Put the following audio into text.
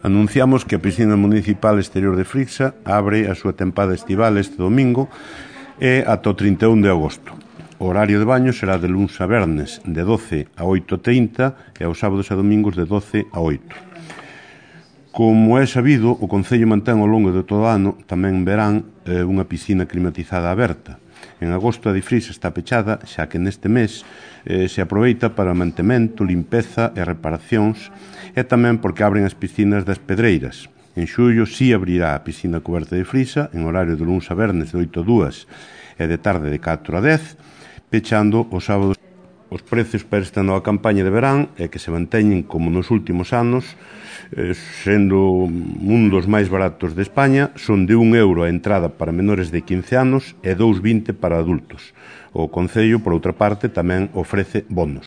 Anunciamos que a piscina municipal exterior de Frixa abre a súa tempada estival este domingo e ata o 31 de agosto. O horario de baño será de luns a vernes de 12 a 8:30 e aos sábados e domingos de 12 a 8. Como é sabido, o Concello mantén ao longo de todo o ano, tamén en verán, unha piscina climatizada aberta. En agosto a de Frixa está pechada, xa que neste mes se aproveita para mantemento, limpeza e reparacións, e tamén porque abren as piscinas das Pedreiras. En xullo si abrirá a piscina coberta de Frixa, en horario de luns a vernes de 8 a 2 e de tarde de 4 a 10, pechando os sábados. Os precios para esta nova campaña de verán é que se manteñen como nos últimos anos, sendo un dos máis baratos de España, son de €1 a entrada para menores de 15 anos e €2,20 para adultos. O Concello, por outra parte, tamén ofrece bonos.